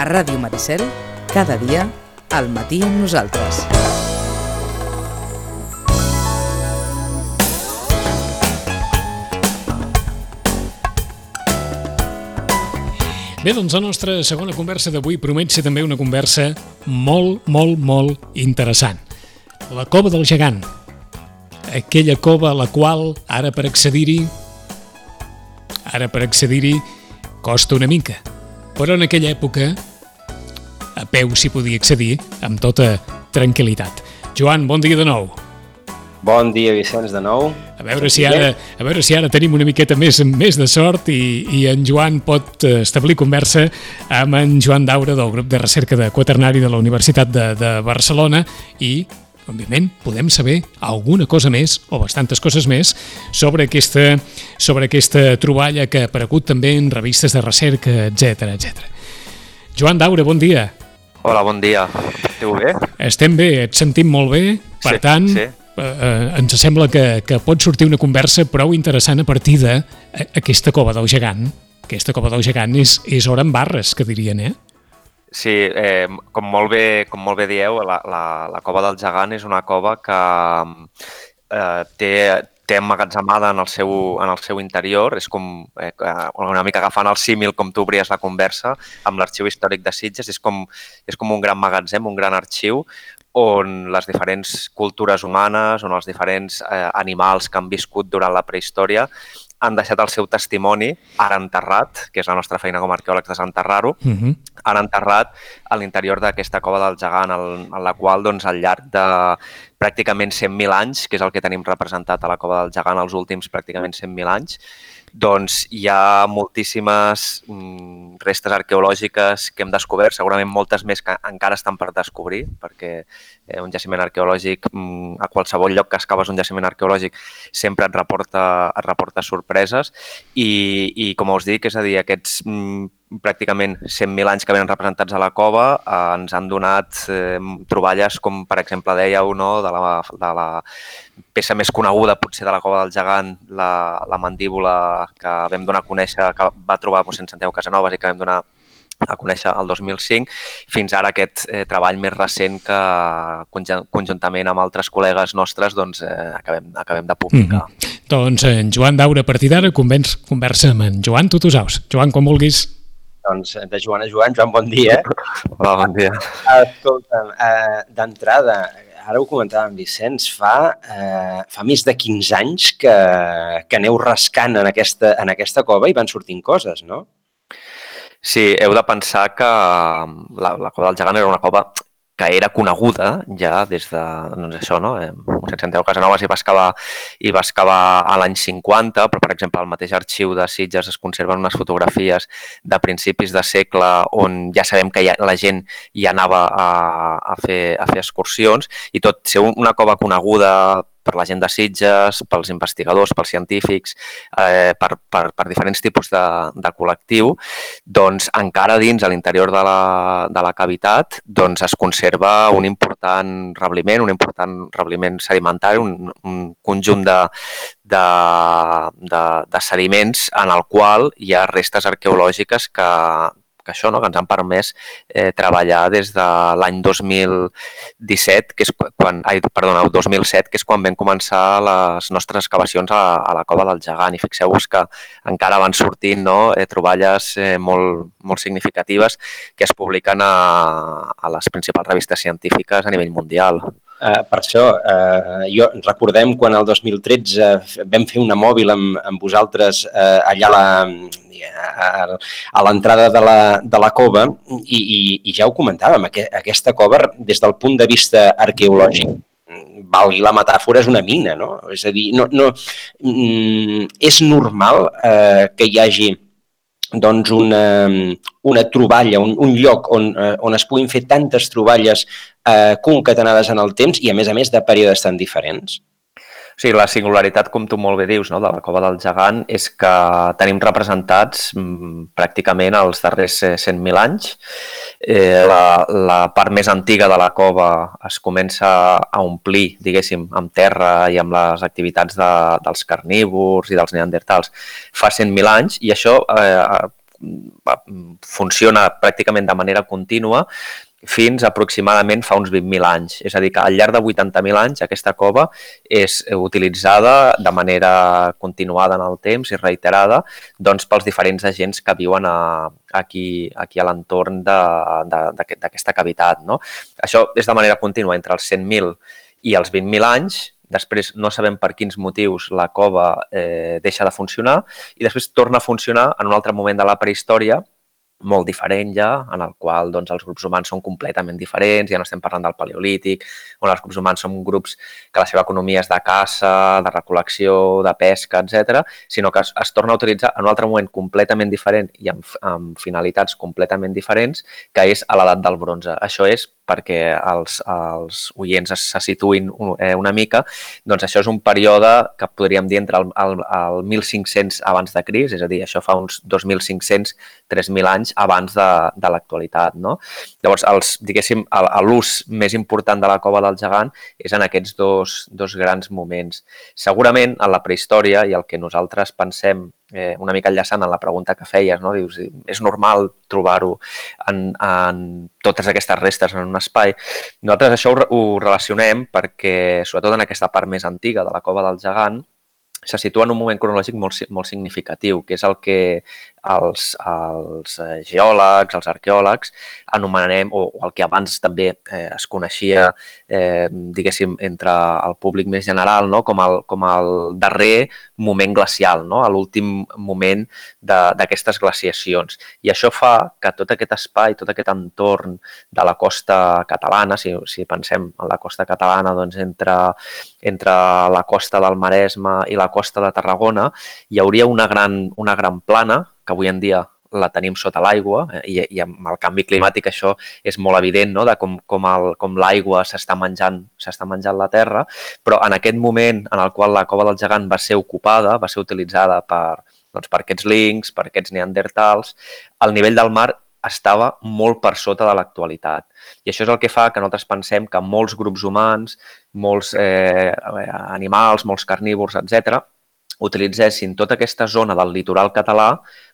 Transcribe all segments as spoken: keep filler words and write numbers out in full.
Ràdio Maricel, cada dia, al matí amb nosaltres. Bé, doncs la nostra segona conversa d'avui promet ser també una conversa molt, molt, molt interessant. La Cova del Gegant. Aquella cova a la qual, ara per accedir-hi, ara per accedir-hi costa una mica. Però en aquella època, a peu s'hi podia accedir amb tota tranquil·litat. Joan, bon dia de nou. Bon dia, Vicenç, de nou. A veure si ara, a veure si ara tenim una miqueta més, més de sort i, i en Joan pot establir conversa amb en Joan Daura del grup de recerca de quaternari de la Universitat de, de Barcelona i, òbviament, podem saber alguna cosa més o bastantes coses més sobre aquesta, sobre aquesta troballa que ha aparegut també en revistes de recerca, etcètera, etcètera. Joan Daura, bon dia. Hola, bon dia. Esteu bé? Estem bé, et sentim molt bé, per sí, tant... Sí. Eh, ens sembla que, que pot sortir una conversa prou interessant a partir d'aquesta Cova del Gegant. Aquesta Cova del Gegant és, és hora en barres, que dirien, eh? Sí, eh, com, molt bé, com molt bé dieu, la, la, la Cova del Gegant és una cova que eh, té, té emmagatzemada en el seu, en el seu interior. És com eh, una mica agafant el símil com tu obries la conversa amb l'Arxiu Històric de Sitges. És com, és com un gran magatzem, un gran arxiu, on les diferents cultures humanes, on els diferents eh, animals que han viscut durant la prehistòria han deixat el seu testimoni, ara enterrat, que és la nostra feina com a arqueòlegs desenterrar-ho, uh-huh. ara enterrat a l'interior d'aquesta Cova del Gegant, en la qual doncs, al llarg de pràcticament cent mil anys, que és el que tenim representat a la Cova del Gegant els últims pràcticament cent mil anys, doncs hi ha moltíssimes mm, restes arqueològiques que hem descobert, segurament moltes més que encara estan per descobrir, perquè eh, un jaciment arqueològic, mm, a qualsevol lloc que excaves un jaciment arqueològic sempre et reporta, et reporta sorpreses i, i com us dic, és a dir, aquests mm, pràcticament cent mil anys que venen representats a la cova eh, ens han donat eh, troballes com, per exemple, dèieu, no, de, la, de la peça més coneguda potser de la Cova del Gegant, la, la mandíbula que vam donar a conèixer, que va trobar mossèn Santiago Casanovas i que vam donar a conèixer el dos mil cinc, fins ara aquest eh, treball més recent que conjuntament amb altres col·legues nostres doncs, eh, acabem, acabem de publicar. Mm-hmm. Doncs en Joan Daura, a partir d'ara, conversa amb en Joan Tutusaus. Joan, quan vulguis. Doncs de Joan a Joan, Joan, bon dia. Hola, bon dia. Escolta'm, eh, d'entrada, ara ho comentava en Vicenç, fa, eh, fa més de quinze anys que, que aneu rascant en aquesta, en aquesta cova i van sortint coses, no? Sí, heu de pensar que la, la Cova del Gegant era una cova que era coneguda ja des de, doncs això, no? mossèn Santiago Casanovas hi va excavar, hi va excavar a l'any cinquanta, però, per exemple, al mateix arxiu de Sitges es conserven unes fotografies de principis de segle on ja sabem que ja, la gent hi anava a, a, fer, a fer excursions i tot ser una cova coneguda per la gent de Sitges, pels investigadors, pels científics, eh, per, per, per diferents tipus de, de col·lectiu, doncs encara dins a l'interior de, la, de la cavitat doncs es conserva un important rebliment, un important rebliment sedimentari, un, un conjunt de, de, de, de sediments en el qual hi ha restes arqueològiques que que això, no? que ens han permès eh, treballar des de l'any dos mil disset, que és quan, ai, perdona, el dos mil set, que és quan vam començar les nostres excavacions a, a la Cova del Gegant. I fixeu-vos que encara van sortint no? eh, troballes eh, molt, molt significatives que es publiquen a, a les principals revistes científiques a nivell mundial. Uh, per això, uh, jo recordem quan el dos mil tretze vam fer una mòbil amb, amb vosaltres uh, allà a la, a, a l'entrada de, la, de la cova i, i, i ja ho comentàvem, aqu aquesta cova des del punt de vista arqueològic, valgui la metàfora, és una mina, no? És a dir, no, no, mm, és normal uh, que hi hagi doncs una, una troballa, un, un lloc on, eh, on es puguin fer tantes troballes eh, concatenades en el temps i, a més a més, de períodes tan diferents? O sigui, la singularitat, com tu molt bé dius, no, de la Cova del Gegant és que tenim representats mm, pràcticament els darrers cent mil anys. Eh, la, la part més antiga de la cova es comença a omplir, diguéssim, amb terra i amb les activitats de, dels carnívors i dels neandertals fa cent mil anys i això eh, funciona pràcticament de manera contínua fins aproximadament fa uns vint mil anys. És a dir, que al llarg de vuitanta mil anys aquesta cova és utilitzada de manera continuada en el temps i reiterada doncs, pels diferents agents que viuen a, aquí, aquí a l'entorn d'aquesta cavitat. No? Això és de manera contínua entre els cent mil i els vint mil anys. Després no sabem per quins motius la cova eh, deixa de funcionar i després torna a funcionar en un altre moment de la prehistòria molt diferent ja, en el qual doncs, els grups humans són completament diferents, ja no estem parlant del paleolític, on els grups humans són grups que la seva economia és de caça, de recol·lecció, de pesca, etcètera, sinó que es, es torna a utilitzar en un altre moment completament diferent i amb, amb finalitats completament diferents, que és a l'edat del bronze. Això és perquè els, els oients se situïn una mica, doncs això és un període que podríem dir entre el, el, el mil cinc-cents abans de Crist, és a dir, això fa uns dos mil cinc-cents a tres mil anys abans de, de l'actualitat. No? Llavors, els, diguéssim, l'ús més important de la cova del gegant és en aquests dos, dos grans moments. Segurament, en la prehistòria, i el que nosaltres pensem, eh, una mica enllaçant en la pregunta que feies, no? Dius, és normal trobar-ho en, en totes aquestes restes en un espai. Nosaltres això ho, ho relacionem perquè, sobretot en aquesta part més antiga de la cova del gegant, se situa en un moment cronològic molt, molt significatiu, que és el que els, els geòlegs, els arqueòlegs, anomenem, o, o el que abans també eh, es coneixia, eh, diguéssim, entre el públic més general, no? com, el, com el darrer moment glacial, no? l'últim moment d'aquestes glaciacions. I això fa que tot aquest espai, tot aquest entorn de la costa catalana, si, si pensem en la costa catalana, doncs entre, entre la costa del Maresme i la costa de Tarragona, hi hauria una gran, una gran plana, que avui en dia la tenim sota l'aigua i, i amb el canvi climàtic això és molt evident, no? de com, com, el, com l'aigua s'està menjant, s'està menjant la terra, però en aquest moment en el qual la cova del gegant va ser ocupada, va ser utilitzada per, doncs, per aquests links, per aquests neandertals, el nivell del mar estava molt per sota de l'actualitat. I això és el que fa que nosaltres pensem que molts grups humans, molts eh, animals, molts carnívors, etcètera, utilitzessin tota aquesta zona del litoral català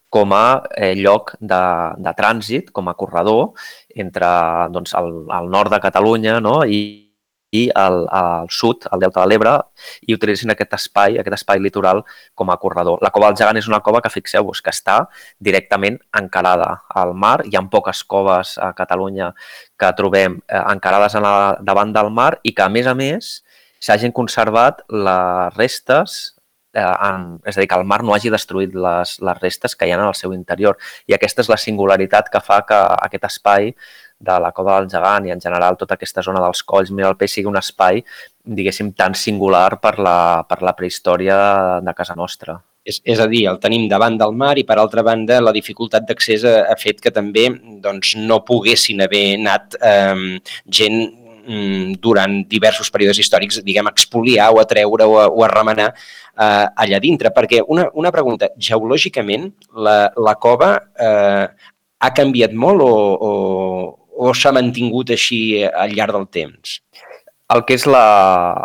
com a eh, lloc de, de trànsit, com a corredor entre doncs, el, el nord de Catalunya, no? i, i el, el sud, el Delta de l'Ebre, i utilitzin aquest espai, aquest espai litoral com a corredor. La cova del gegant és una cova que, fixeu-vos, que està directament encarada al mar. Hi ha poques coves a Catalunya que trobem eh, encarades a la, davant del mar i que, a més a més, s'hagin conservat les restes En, és a dir, que el mar no hagi destruït les, les restes que hi ha en el seu interior. I aquesta és la singularitat que fa que aquest espai de la cova del gegant i en general tota aquesta zona dels colls Miralpeix sigui un espai, diguéssim, tan singular per la, per la prehistòria de casa nostra. És, és a dir, el tenim davant del mar i, per altra banda, la dificultat d'accés ha, ha fet que també doncs, no poguessin haver anat eh, gent durant diversos períodes històrics, diguem, a expoliar o a treure o a, o a remenar eh, allà dintre. Perquè una, una pregunta, geològicament, la, la cova eh, ha canviat molt o, o, o s'ha mantingut així al llarg del temps? El que és la,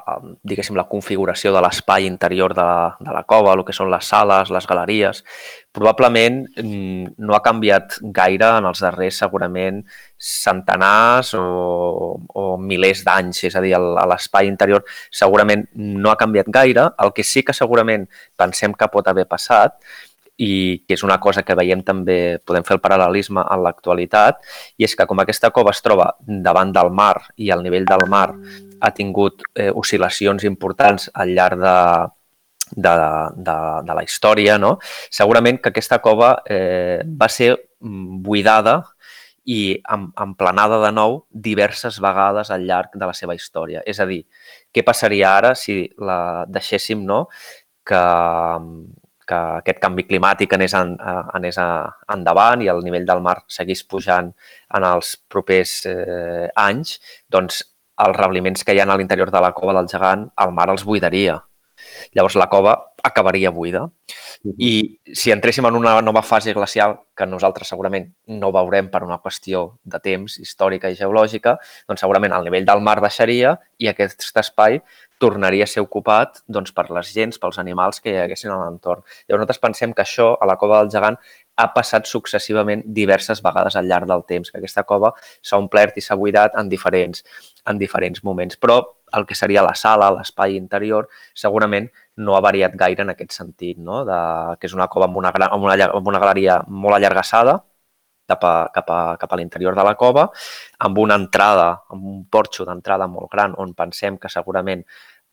diguéssim, la configuració de l'espai interior de, de la cova, el que són les sales, les galeries, probablement no ha canviat gaire en els darrers, segurament, centenars o, o milers d'anys. És a dir, l'espai interior segurament no ha canviat gaire. El que sí que segurament pensem que pot haver passat i que és una cosa que veiem també, podem fer el paral·lelisme en l'actualitat, i és que com aquesta cova es troba davant del mar i el nivell del mar ha tingut eh, oscil·lacions importants al llarg de, de, de, de la història, no? Segurament que aquesta cova eh, va ser buidada i emplenada de nou diverses vegades al llarg de la seva història. És a dir, què passaria ara si la deixéssim, no?, que... que aquest canvi climàtic anés, en, anés endavant i el nivell del mar seguís pujant en els propers eh, anys, doncs els rebliments que hi ha a l'interior de la cova del gegant, el mar els buidaria. Llavors la cova acabaria buida. Uh-huh. I si entréssim en una nova fase glacial, que nosaltres segurament no veurem per una qüestió de temps històrica i geològica, doncs segurament el nivell del mar baixaria i aquest espai tornaria a ser ocupat doncs, per les gents, pels animals que hi haguessin a l'entorn. Llavors nosaltres pensem que això, a la cova del gegant, ha passat successivament diverses vegades al llarg del temps, que aquesta cova s'ha omplert i s'ha buidat en diferents, en diferents moments. Però el que seria la sala, l'espai interior, segurament no ha variat gaire en aquest sentit, no? De, que és una cova amb una, amb una, amb una galeria molt allargassada, cap a, cap a, cap a l'interior de la cova, amb una entrada, amb un porxo d'entrada molt gran, on pensem que segurament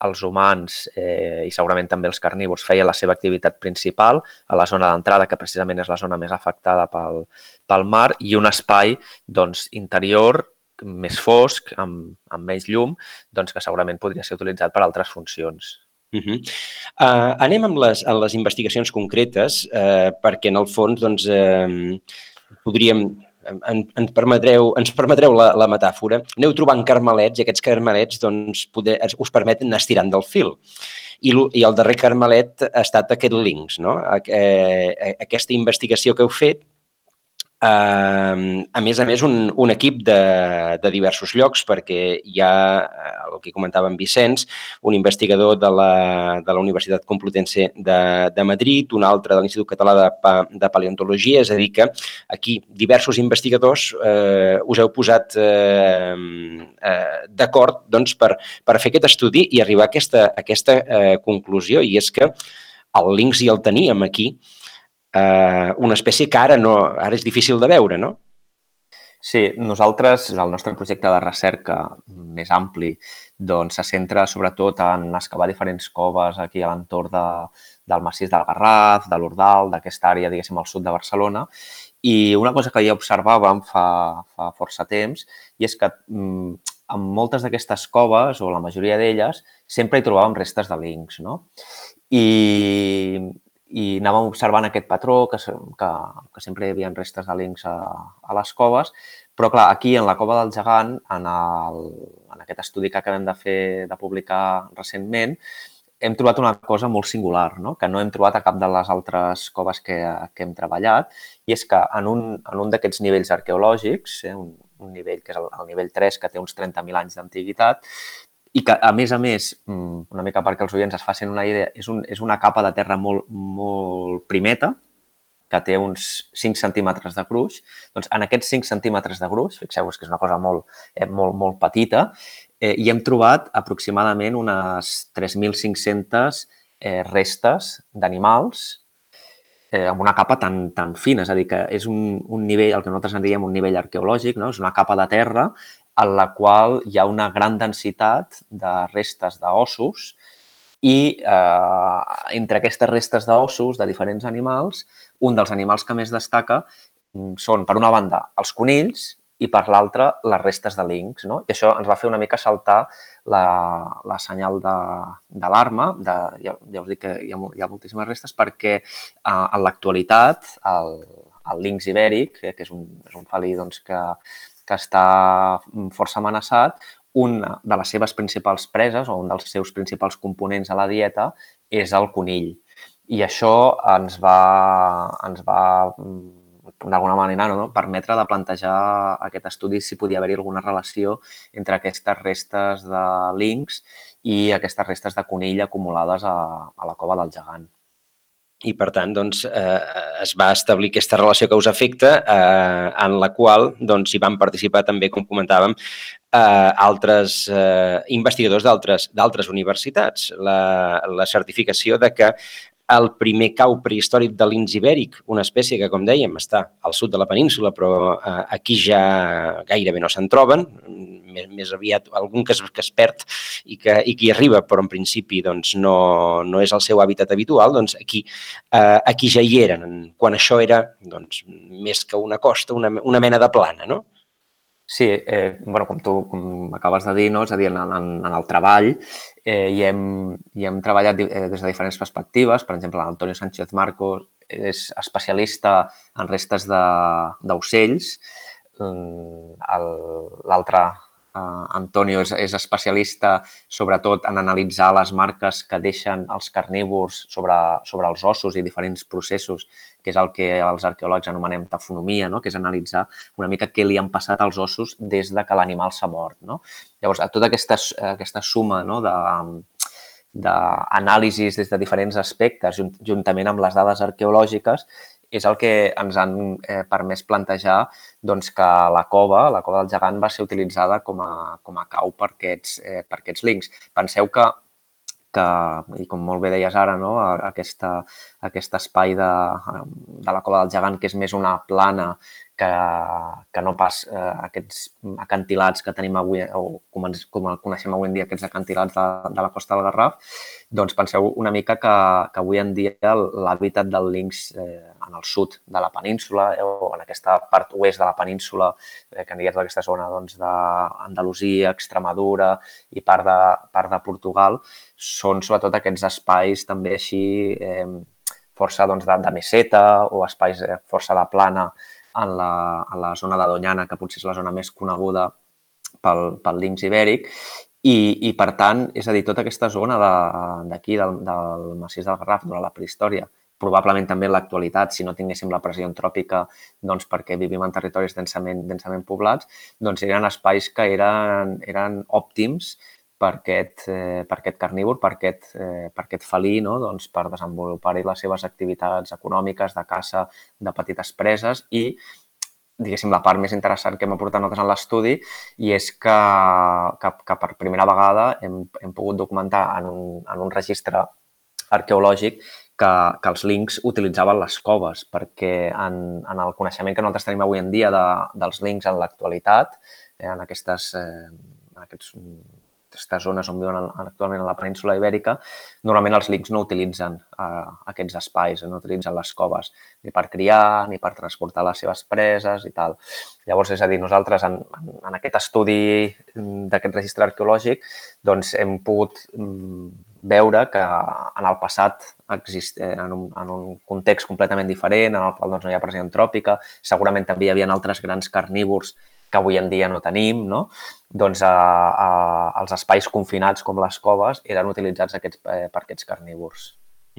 els humans eh, i segurament també els carnívors feien la seva activitat principal a la zona d'entrada, que precisament és la zona més afectada pel, pel mar, i un espai doncs, interior més fosc, amb, amb menys llum, doncs, que segurament podria ser utilitzat per altres funcions. Uh -huh. uh, anem amb les, amb les investigacions concretes, uh, perquè en el fons doncs, uh, podríem... En, ens permetreu, ens permetreu la, la metàfora, aneu trobant carmelets i aquests carmelets doncs, poder, us permeten anar estirant del fil. I, I el darrer carmelet ha estat aquest links, no? Eh, aquesta investigació que heu fet, eh, a més a més un, un equip de, de diversos llocs, perquè hi ha, el que comentava en Vicenç, un investigador de la, de la Universitat Complutense de, de Madrid, un altre de l'Institut Català de, de Paleontologia, és a dir que aquí diversos investigadors eh, us heu posat eh, eh, d'acord doncs, per, per fer aquest estudi i arribar a aquesta, a aquesta eh, conclusió, i és que el linx ja el teníem aquí, eh, una espècie que ara, no, ara és difícil de veure, no? Sí, nosaltres, el nostre projecte de recerca més ampli, doncs se centra sobretot en excavar diferents coves aquí a l'entorn de, del massís del Garraf, de l'Ordal, d'aquesta àrea, diguéssim, al sud de Barcelona. I una cosa que ja observàvem fa, fa força temps, i és que mm, en moltes d'aquestes coves, o la majoria d'elles, sempre hi trobàvem restes de linx, no? I, i anàvem observant aquest patró, que, que, que sempre hi havia restes de linx a, a les coves, però clar, aquí en la cova del Gegant, en, el, en aquest estudi que acabem de fer, de publicar recentment, hem trobat una cosa molt singular, no? Que no hem trobat a cap de les altres coves que, que hem treballat, i és que en un, en un d'aquests nivells arqueològics, eh, un, un nivell que és el, el nivell tres, que té uns trenta mil anys d'antiguitat, i que, a més a més, una mica perquè els oients es facin una idea, és, un, és una capa de terra molt, molt primeta, que té uns cinc centímetres de gruix. Doncs en aquests cinc centímetres de gruix, fixeu-vos que és una cosa molt, eh, molt, molt petita, eh, hi hem trobat aproximadament unes tres mil cinc-centes eh, restes d'animals eh, amb una capa tan, tan fina. És a dir, que és un, un nivell, el que nosaltres en diem un nivell arqueològic, no? És una capa de terra en la qual hi ha una gran densitat de restes d'ossos i eh, entre aquestes restes d'ossos de diferents animals, un dels animals que més destaca són, per una banda, els conills i per l'altra, les restes de linx, no? I això ens va fer una mica saltar la, la senyal d'alarma, de, de, ja, ja us dic que hi ha, hi ha moltíssimes restes, perquè eh, en l'actualitat el, el linx ibèric, eh, que és un, és un felí doncs, que, que està força amenaçat, una de les seves principals preses o un dels seus principals components a la dieta és el conill. I això ens va, ens va d'alguna manera, no, permetre de plantejar aquest estudi si podia haver-hi alguna relació entre aquestes restes de linx i aquestes restes de conill acumulades a, a la cova del Gegant. I, per tant, doncs, eh, es va establir aquesta relació causa-efecte eh, en la qual doncs, hi van participar també, com comentàvem, eh, altres eh, investigadors d'altres universitats. La, la certificació de que el primer cau prehistòric de linx ibèric, una espècie que, com dèiem, està al sud de la península, però eh, aquí ja gairebé no se'n troben, més, més aviat algun que es, que es perd i que, i que hi arriba, però en principi doncs, no, no és el seu hàbitat habitual, doncs aquí, eh, aquí ja hi eren, quan això era doncs, més que una costa, una, una mena de plana, no? Sí, eh, bueno, com tu com acabes de dir, no? És a dir, en, en, en el treball eh, hi, hem, hi hem treballat des de diferents perspectives. Per exemple, l'Antonio Sánchez Marcos és especialista en restes d'ocells. L'altre, eh, Antonio, és, és especialista sobretot en analitzar les marques que deixen els carnívors sobre, sobre els ossos i diferents processos, que és el que els arqueòlegs anomenem tafonomia, no? Que és analitzar una mica què li han passat als ossos des de que l'animal s'ha mort, no? Llavors, tota aquesta, aquesta suma, no, de, d'anàlisis des de diferents aspectes, juntament amb les dades arqueològiques, és el que ens han eh, permès plantejar doncs, que la cova, la cova del gegant, va ser utilitzada com a, com a cau per aquests, eh, per aquests links. Penseu que que, i com molt bé deies ara, no? Aquesta, aquest espai de, de la cova del gegant, que és més una plana que, que no pas eh, aquests acantilats que tenim avui, o com, ens, com el coneixem avui en dia, aquests acantilats de, de la costa del Garraf, doncs penseu una mica que, que avui en dia l'hàbitat del linx eh, en el sud de la península eh, o en aquesta part oest de la península, eh, que en diguem d'aquesta zona doncs, d'Andalusia, Extremadura i part de, part de Portugal, són sobretot aquests espais també així eh, força doncs, de, de meseta o espais eh, força de plana en la, en la zona de Doñana, que potser és la zona més coneguda pel, pel linx ibèric. I, I, per tant, és a dir, tota aquesta zona d'aquí, de, del, del massís del Garraf, durant la prehistòria, probablement també en l'actualitat, si no tinguéssim la pressió antròpica, doncs perquè vivim en territoris densament, densament poblats, doncs eren espais que eren, eren òptims per aquest, eh, per aquest carnívor, per aquest, eh, per aquest felí, no? Doncs per desenvolupar-hi les seves activitats econòmiques, de caça, de petites preses i, diguéssim, la part més interessant que hem aportat nosaltres en l'estudi i és que, que, que per primera vegada hem, hem pogut documentar en un, en un registre arqueològic que, que els linx utilitzaven les coves, perquè en, en el coneixement que nosaltres tenim avui en dia de, dels linx en l'actualitat, eh, en aquestes, eh, en aquests aquestes zones on viuen actualment a la península ibèrica, normalment els linx no utilitzen eh, aquests espais, no utilitzen les coves ni per criar, ni per transportar les seves preses i tal. Llavors, és a dir, nosaltres en, en aquest estudi d'aquest registre arqueològic doncs hem pogut veure que en el passat exist, en, un, en un context completament diferent, en el qual doncs, no hi ha pressió antròpica, segurament també hi havia altres grans carnívors que avui en dia no tenim, no? Doncs a, a, els espais confinats com les coves eren utilitzats aquests, eh, per aquests carnívors.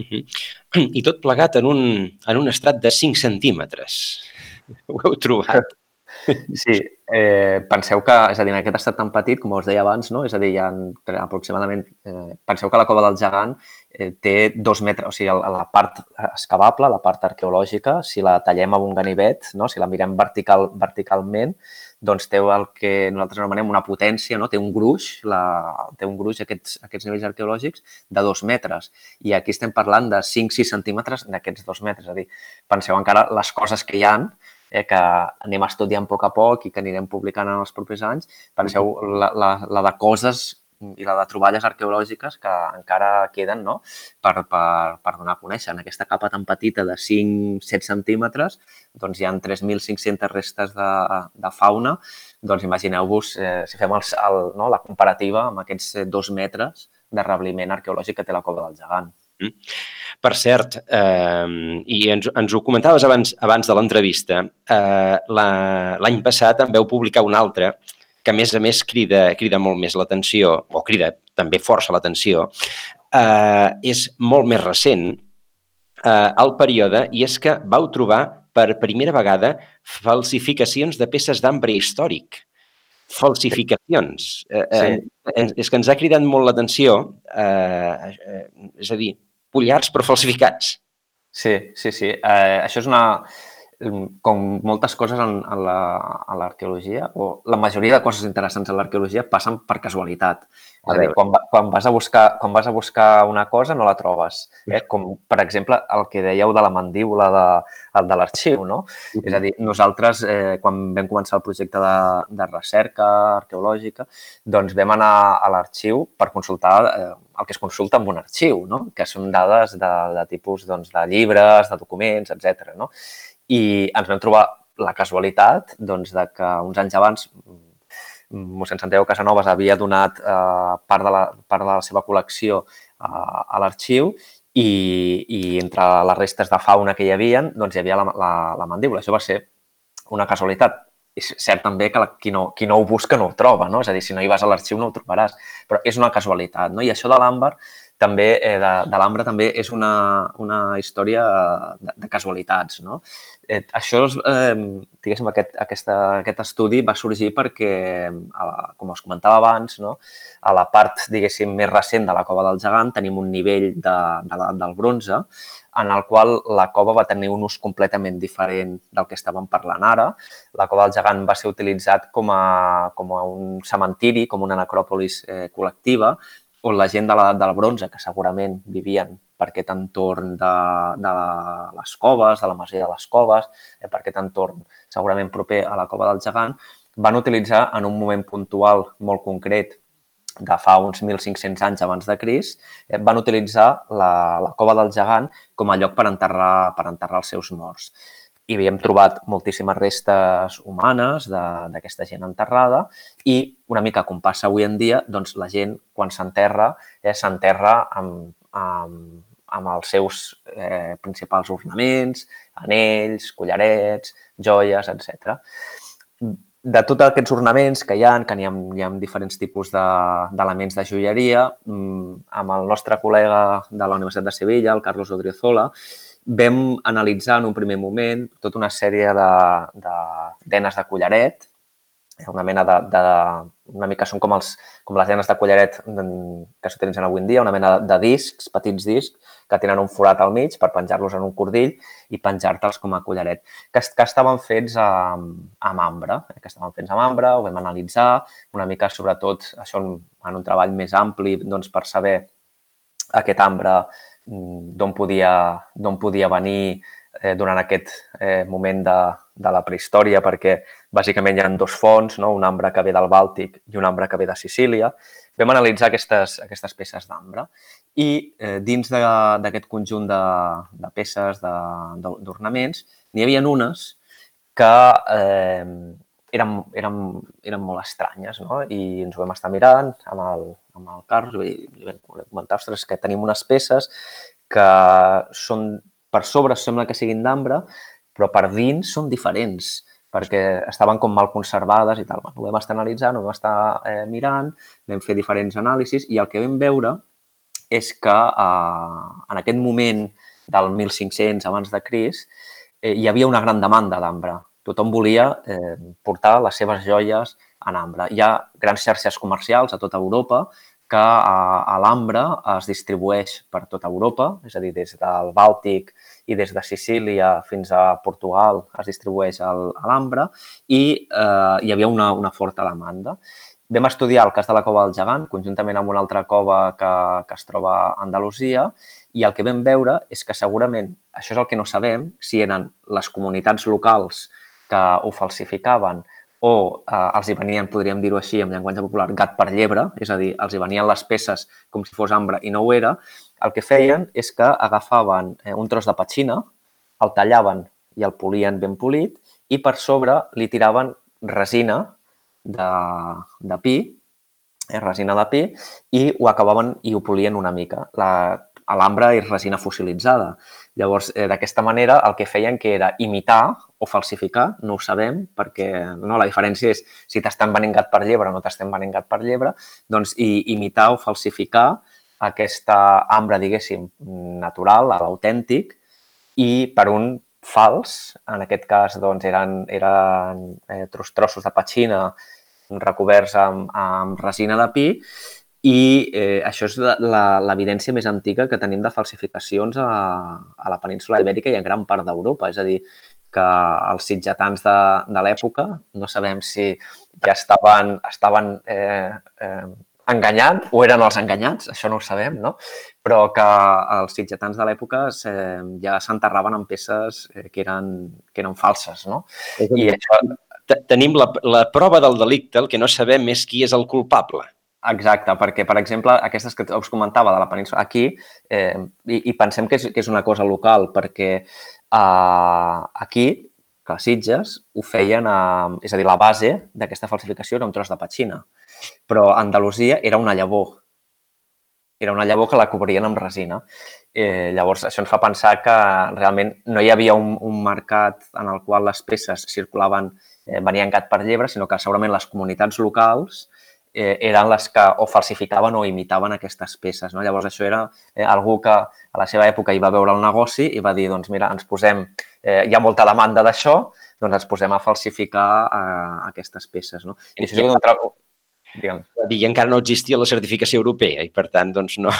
Uh-huh. I tot plegat en un, en un estrat de cinc centímetres. Ho heu trobat? Sí, eh, penseu que, és a dir, en aquest estat tan petit, com us deia abans, no? És a dir, hi ha aproximadament, eh, penseu que la cova del gegant eh, té dos metres, o sigui, la part excavable, la part arqueològica, si la tallem amb un ganivet, no? Si la mirem vertical, verticalment, doncs té el que nosaltres anomenem una potència, no? Té un gruix, la, té un gruix aquests, aquests nivells arqueològics de dos metres. I aquí estem parlant de cinc sis centímetres d'aquests dos metres. És a dir, penseu encara les coses que hi ha, eh, que anem estudiant a poc a poc i que anirem publicant en els propers anys. Penseu la, la, la de coses i la de troballes arqueològiques que encara queden, no? per, per, per donar a conèixer. En aquesta capa tan petita de cinc set centímetres doncs hi ha tres mil cinc-centes restes de, de fauna. Doncs imagineu-vos, eh, si fem el, el, no, la comparativa amb aquests dos metres de rebliment arqueològic que té la cova del gegant. Per cert, eh, i ens, ens ho comentaves abans, abans de l'entrevista, eh, l'any passat en veu publicar un altre que a més a més crida, crida molt més l'atenció, o crida també força l'atenció, eh, és molt més recent eh, el període, i és que vau trobar per primera vegada falsificacions de peces d'ambre històric. Falsificacions. Eh, eh, sí. És que ens ha cridat molt l'atenció, eh, eh, és a dir, pollars però falsificats. Sí, sí, sí. Eh, això és una... com moltes coses en, en l'arqueologia, o la majoria de coses interessants en l'arqueologia passen per casualitat. És a dir, quan, quan, vas a buscar, quan vas a buscar una cosa no la trobes. Eh? Com, per exemple, el que dèieu de la mandíbula de, de l'arxiu, no? Uh-huh. És a dir, nosaltres, eh, quan vam començar el projecte de, de recerca arqueològica, doncs vam anar a l'arxiu per consultar eh, el que es consulta en un arxiu, no? Que són dades de, de tipus doncs, de llibres, de documents, etcètera, no? I ens vam trobar la casualitat doncs, de que uns anys abans mossèn Santiago Casanovas havia donat eh, part, de la, part de la seva col·lecció eh, a l'arxiu i, i entre les restes de fauna que hi havia, doncs hi havia la, la, la mandíbula. Això va ser una casualitat. És cert també que la, qui, no, qui no ho busca no ho troba, no? És a dir, si no hi vas a l'arxiu no ho trobaràs, però és una casualitat, no? I això de l'àmbar també eh, de, de l'Ambra també és una, una història de, de casualitats, no? Eh, això, eh, diguéssim, aquest, aquesta, aquest estudi va sorgir perquè, a, com us comentava abans, no? A la part, diguéssim, més recent de la Cova del Gegant tenim un nivell de, de l'edat del bronze en el qual la cova va tenir un ús completament diferent del que estàvem parlant ara. La Cova del Gegant va ser utilitzat com a, com a un cementiri, com una necròpolis eh, col·lectiva, on la gent de l'edat del bronze, que segurament vivien per aquest entorn de, de les coves, de la masia de les coves, eh, per aquest entorn segurament proper a la Cova del Gegant, van utilitzar en un moment puntual molt concret de fa uns mil cinc-cents anys abans de Crist, eh, van utilitzar la, la Cova del Gegant com a lloc per enterrar, per enterrar els seus morts. I havíem trobat moltíssimes restes humanes d'aquesta gent enterrada i una mica com passa avui en dia, doncs la gent quan s'enterra eh, s'enterra amb, amb, amb els seus eh, principals ornaments, anells, collarets, joies, etcètera. De tots aquests ornaments que hi ha, que hi ha, hi ha diferents tipus d'elements de, de joieria, amb el nostre col·lega de la Universitat de Sevilla, el Carlos Odriozola, vam analitzar en un primer moment tota una sèrie de, de denes de collaret, una mena de, de una mica són com, els, com les denes de collaret que s'utilitzen avui en dia, una mena de discs, petits discs, que tenen un forat al mig per penjar-los en un cordill i penjar-te'ls com a collaret, que, que estaven fets amb, amb ambre, eh, que estaven fets amb ambre, ho vam analitzar, una mica sobretot això en, en un treball més ampli doncs, per saber aquest ambre d'on podia, d'on podia venir eh, durant aquest eh, moment de, de la prehistòria, perquè bàsicament hi ha dos fonts, no? Un ambre que ve del Bàltic i un ambre que ve de Sicília. Vam analitzar aquestes, aquestes peces d'ambre i eh, dins d'aquest conjunt de, de peces d'ornaments n'hi havia unes que eh, eren, eren, eren molt estranyes, no? I ens ho vam estar mirant amb el, amb el Carlos i li vam comentar, ostres, que tenim unes peces que són, per sobre sembla que siguin d'ambre, però per dins són diferents, perquè estaven com mal conservades i tal. Ho vam estar analitzant, ho vam estar eh, mirant, vam fer diferents anàlisis i el que vam veure és que eh, en aquest moment del mil cinc-cents abans de Crist eh, hi havia una gran demanda d'ambre. Tothom volia eh, portar les seves joies en ambre. Hi ha grans xarxes comercials a tota Europa que a, a l'ambre es distribueix per tota Europa, és a dir, des del Bàltic i des de Sicília fins a Portugal es distribueix l'ambre i eh, hi havia una, una forta demanda. Vam estudiar el cas de la Cova del Gegant, conjuntament amb una altra cova que, que es troba a Andalusia, i el que vam veure és que segurament, això és el que no sabem, si eren les comunitats locals que ho falsificaven o eh, els hi venien, podríem dir-ho així, en llenguatge popular, gat per llebre, és a dir, els hi venien les peces com si fos ambre i no ho era, el que feien és que agafaven eh, un tros de petxina, el tallaven i el polien ben polit i per sobre li tiraven resina de, de pi, eh, resina de pi, i ho acabaven i ho polien una mica. L'ambre és resina fossilitzada. Llavors, eh, d'aquesta manera, el que feien que era imitar o falsificar, no ho sabem, perquè no, la diferència és si t'estan venent gat per llebre o no t'estan venent gat per llebre, doncs i, imitar o falsificar aquesta ambre, diguéssim, natural, l'autèntic, i per un fals, en aquest cas, doncs, eren, eren eh, trossos de petxina recoberts amb, amb resina de pi, i eh, això és l'evidència més antiga que tenim de falsificacions a, a la península Ibèrica i en gran part d'Europa. És a dir, que els sitgetans de, de l'època, no sabem si ja estaven, estaven eh, eh, enganyant o eren els enganyats, això no ho sabem, no? Però que els sitgetans de l'època eh, ja s'enterraven en peces eh, que, eren, que eren falses, no? I això... Tenim la, la prova del delicte, el que no sabem és qui és el culpable. Exacte, perquè, per exemple, aquestes que us comentava de la península, aquí, eh, i, i pensem que és, que és una cosa local, perquè eh, aquí, que a Sitges, ho feien, a, és a dir, la base d'aquesta falsificació era un tros de petxina, però a Andalusia era una llavor. Era una llavor que la cobrien amb resina. Eh, llavors, això ens fa pensar que realment no hi havia un, un mercat en el qual les peces circulaven, eh, venien gat per llebre, sinó que segurament les comunitats locals eh, eren les que o falsificaven o imitaven aquestes peces. No? Llavors, això era eh, algú que a la seva època hi va veure el negoci i va dir, doncs mira, ens posem, eh, hi ha molta demanda d'això, doncs ens posem a falsificar eh, aquestes peces. No? I això sí que d'un treball... I encara no existia la certificació europea i, per tant, doncs no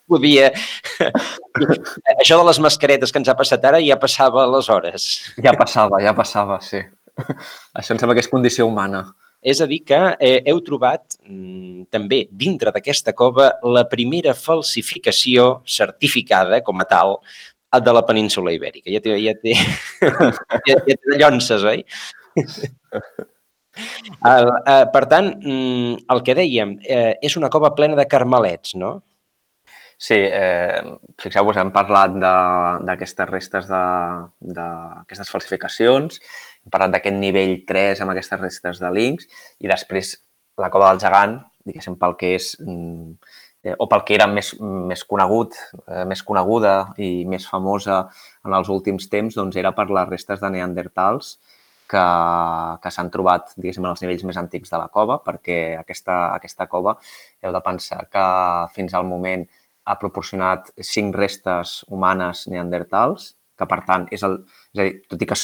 podia... Això de les mascaretes que ens ha passat ara ja passava aleshores. Ja passava, ja passava, sí. Això em sembla que és condició humana. És a dir que eh, heu trobat mm, també dintre d'aquesta cova la primera falsificació certificada com a tal de la península ibèrica. Ja té, ja té, ja, ja té llonces, oi? El, eh, per tant, mm, el que dèiem, eh, és una cova plena de carmelets, no? Sí, eh, fixeu-vos, hem parlat d'aquestes restes, d'aquestes falsificacions, hem parlat d'aquest nivell tres amb aquestes restes de links i després la cova del gegant, diguéssim, pel que és, eh, o pel que era més, més conegut, eh, més coneguda i més famosa en els últims temps, doncs era per les restes de neandertals que, que s'han trobat, diguéssim, en els nivells més antics de la cova, perquè aquesta, aquesta cova heu de pensar que fins al moment ha proporcionat cinc restes humanes neandertals, que per tant és el... És a dir, tot i que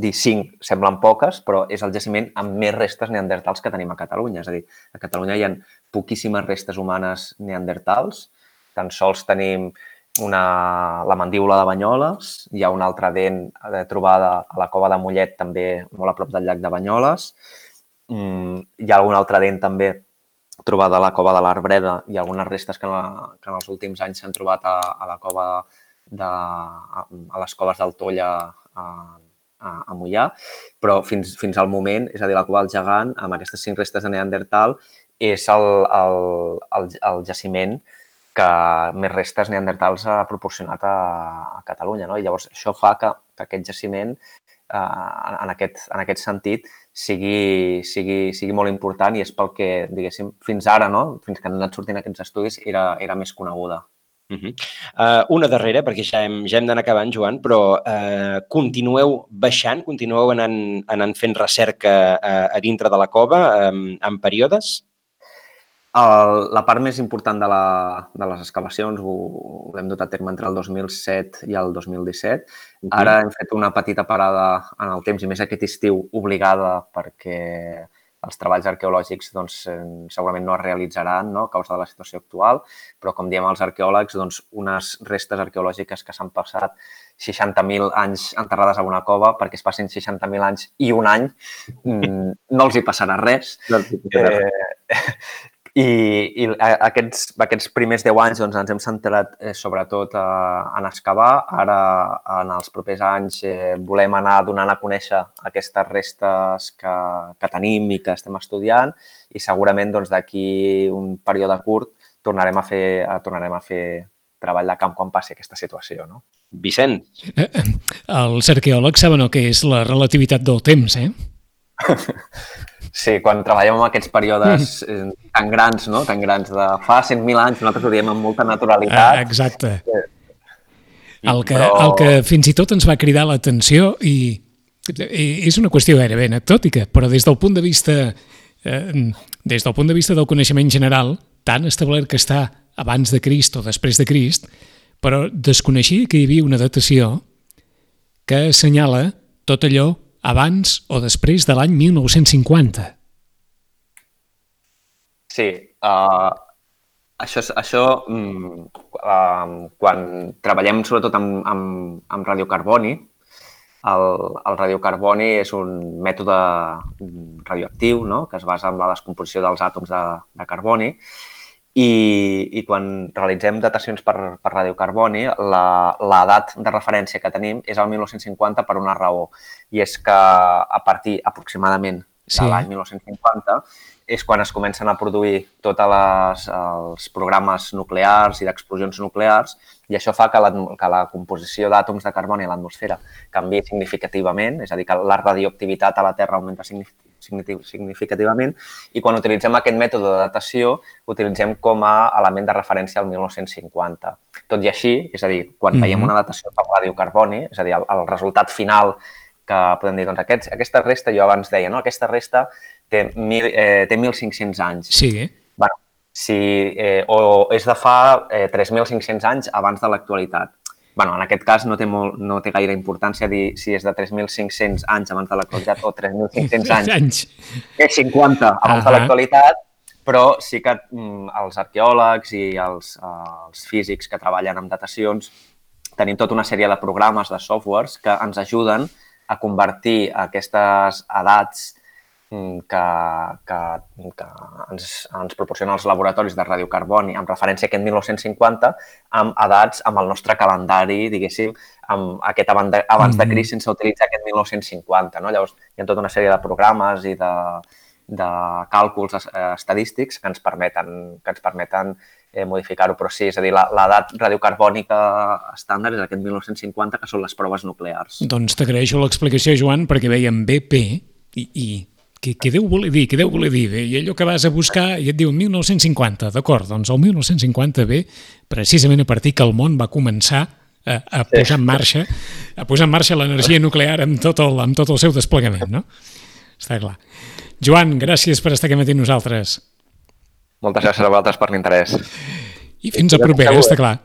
dir cinc semblen poques, però és el jaciment amb més restes neandertals que tenim a Catalunya. És a dir, a Catalunya hi ha poquíssimes restes humanes neandertals, tan sols tenim una, la mandíbula de Banyoles, hi ha una altra dent trobada a la cova de Mollet, també molt a prop del llac de Banyoles, hi ha alguna altra dent també trobada a la cova de l'Arbreda i algunes restes que en, la, que en els últims anys s'han trobat a, a la cova de, a, a les coves del Tolla a, a, a Moià, però fins, fins al moment, és a dir, la cova del gegant, amb aquestes cinc restes de Neandertal, és el, el, el, el jaciment que més restes neandertals ha proporcionat a, a Catalunya. No? I llavors això fa que, que aquest jaciment, eh, en, aquest, en aquest sentit, sigui, sigui, sigui molt important i és pel que, diguéssim, fins ara, no? Fins que han anat sortint aquests estudis, era, era més coneguda. Uh -huh. uh, una darrera, perquè ja hem, ja hem d'anar acabant, Joan, però uh, continueu baixant, continueu anant, anant fent recerca uh, a dintre de la cova um, en períodes? El, la part més important de, la, de les excavacions ho, ho hem dut a terme entre el dos mil set i el dos mil disset. Uh-huh. Ara hem fet una petita parada en el temps i més aquest estiu obligada perquè els treballs arqueològics doncs, segurament no es realitzaran, no?, a causa de la situació actual, però com diem els arqueòlegs, doncs, unes restes arqueològiques que s'han passat seixanta mil anys enterrades a una cova, perquè es passin seixanta mil anys i un any, no els hi passarà res. No els hi passarà res. Eh, I, i aquests, aquests primers deu anys doncs, ens hem centrat eh, sobretot a, en excavar. Ara, en els propers anys, eh, volem anar donant a conèixer aquestes restes que, que tenim i que estem estudiant i segurament doncs, d'aquí un període curt tornarem a fer, tornarem a fer treball de camp quan passi aquesta situació. No? Vicent. Eh, els arqueòlegs saben el que és la relativitat del temps, eh? Sí, quan treballem en aquests períodes eh, tan grans, no? Tan grans de fa cent mil anys, nosaltres ho diem amb molta naturalitat. Ah, exacte. El que, Però... el que fins i tot ens va cridar l'atenció i, i és una qüestió gairebé anecdòtica, però des del punt de vista eh, des del punt de vista del coneixement general, tan establert que està abans de Crist o després de Crist, però desconeixia que hi havia una datació que assenyala tot allò abans o després de l'any mil nou-cents cinquanta. Sí, uh, això, això uh, quan treballem sobretot amb, amb, amb radiocarboni, el, el radiocarboni és un mètode radioactiu, no?, que es basa en la descomposició dels àtoms de, de carboni i, i quan realitzem datacions per, per radiocarboni, l'edat de referència que tenim és el mil nou-cents cinquanta per una raó, i és que a partir aproximadament de sí. l'any mil nou-cents cinquanta és quan es comencen a produir tots els programes nuclears i d'explosions nuclears i això fa que la, que la composició d'àtoms de carboni a l'atmosfera canviï significativament, és a dir, que la radioactivitat a la Terra augmenta significativament i quan utilitzem aquest mètode de datació utilitzem com a element de referència al mil nou-cents cinquanta. Tot i així, és a dir, quan mm-hmm. veiem una datació per radiocarboni, és a dir, el, el resultat final que podem dir, doncs aquests, aquesta resta, jo abans deia, no? Aquesta resta té, mil, eh, té mil cinc-cents anys. Sí. Bueno, si, eh, o és de fa eh, tres mil cinc-cents anys abans de l'actualitat. Bueno, en aquest cas no té, molt, no té gaire importància dir si és de tres mil cinc-cents anys abans de l'actualitat o tres mil cinc-cents anys, anys. És cinquanta abans uh -huh. de l'actualitat, però sí que mm, els arqueòlegs i els, uh, els físics que treballen amb datacions tenim tota una sèrie de programes, de softwares, que ens ajuden a convertir aquestes edats que, que, que ens, ens proporcionen els laboratoris de radiocarboni amb referència a aquest mil nou-cents cinquanta amb edats, amb el nostre calendari, diguéssim, amb aquest abans de Crist sense utilitzar aquest mil nou-cents cinquanta. No? Llavors, hi ha tota una sèrie de programes i de, de càlculs estadístics que ens permeten, que ens permeten eh, modificar-ho. Però sí, és a dir, l'edat radiocarbònica estàndard és aquest mil nou-cents cinquanta, que són les proves nuclears. Doncs t'agraeixo l'explicació, Joan, perquè veiem B P i... i... Què, què deu voler dir? Què deu voler dir? I allò que vas a buscar i et diu mil nou-cents cinquanta, d'acord, doncs el mil nou-cents cinquanta ve precisament a partir que el món va començar a, a posar en marxa a posar en marxa l'energia nuclear amb tot, el, amb tot el seu desplegament, no? Està clar. Joan, gràcies per estar aquí amb nosaltres. Moltes gràcies a vosaltres per l'interès. I fins a propera, està clar.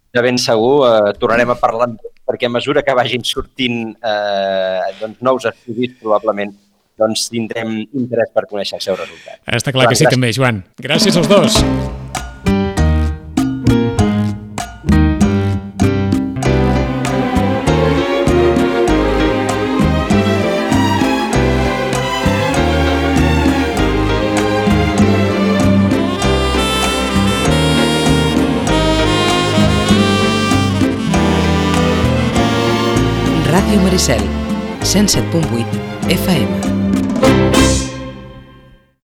De ben segur, eh, tornarem a parlar perquè a mesura que vagin sortint eh, doncs, nous estudis, probablement doncs tindrem interès per conèixer el seu resultat. Està clar que sí, també, Joan. Gràcies als dos. Ràdio Maricel, cent set punt vuit F M.